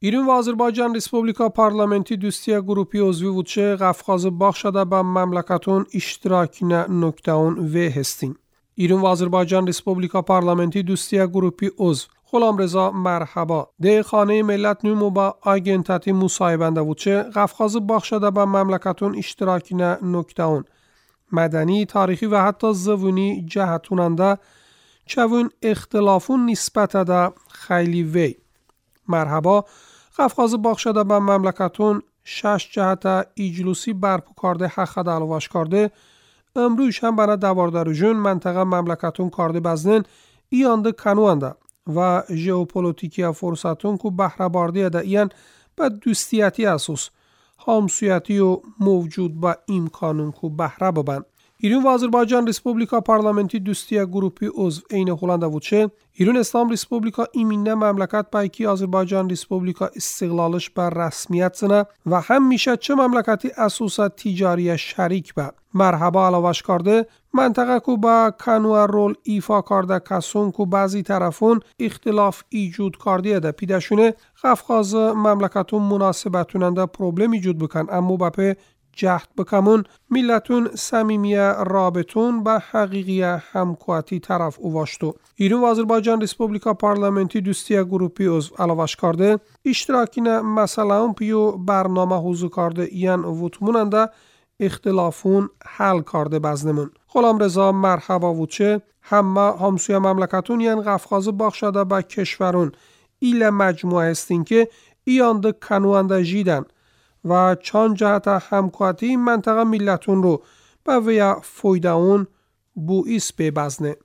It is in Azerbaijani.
İran ve Azerbaycan Respublika Parlamenti Dostiya Grupi uzvi vуче Qafqazı Baxşada ba mamlakatun iştirakine noktaun ve hestin. İran ve Azerbaycan Respublika Parlamenti Dostiya Grupi uzv غلامرضا مرحبا ده خانه ملت نومو با آگنتاتی مصاحبنده وچه قفقاز باخشده با مملکتون اشتراکینه نکتاون مدنی تاریخی و حتی زوونی جهتوننده چوون اختلافون نسبت ده خیلی وی مرحبا قفقاز باخشده با مملکتون 6 جهت ایجلوسی برپو کرده حق دلواش کرده امروز هم بنا دواردارجون منطقه مملکتون کرده بزنن ایانده کنوانده و ژئوپلیتیکی فرصتون کو بهره باردی ده ایان به دوستیتی اساس همسویتی و موجود با امکانون کو بهره ببن. ایران و آذربایجان ریسپوبلیکا پارلمنتی دوستیا گروپی عضو عین هلند وچه ایران اسلام ریسپوبلیکا ایمینه مملکت پایکی آذربایجان ریسپوبلیکا استقلالش بر رسمیت زنه و هم میشه چه مملکتی اساسا تجاری شریک به مرحبا علاوش کرده منطقه کو با کنوه رول ایفا کرده کسون کو بعضی طرفون اختلاف ایجود کرده ده پیدشونه قفقاز مملکتون مناسبتوننده پروبلم ایجود بکن اما بپه جهد بکمون ملتون صمیمیه رابطون به حقیقی همکواتی طرف اواشتو. ایران و آذربایجان ریسپوبلیکا پارلمنتی دوستیا گروپی عضو علاوش کرده اشتراکینه مثلا پیو برنامه حضور کرده ایان وطموننده اختلافون حل کرده بزنمون. غلامرضا مرحبا وچه همه همسوی مملکتون یان قفقاز باخشده به کشورون ایل مجموعه هستین که ایانده کنوانده جیدن و چند جهت همکواتی منطقه ملتون رو به ویا فایده اون بوئیس ببزنه.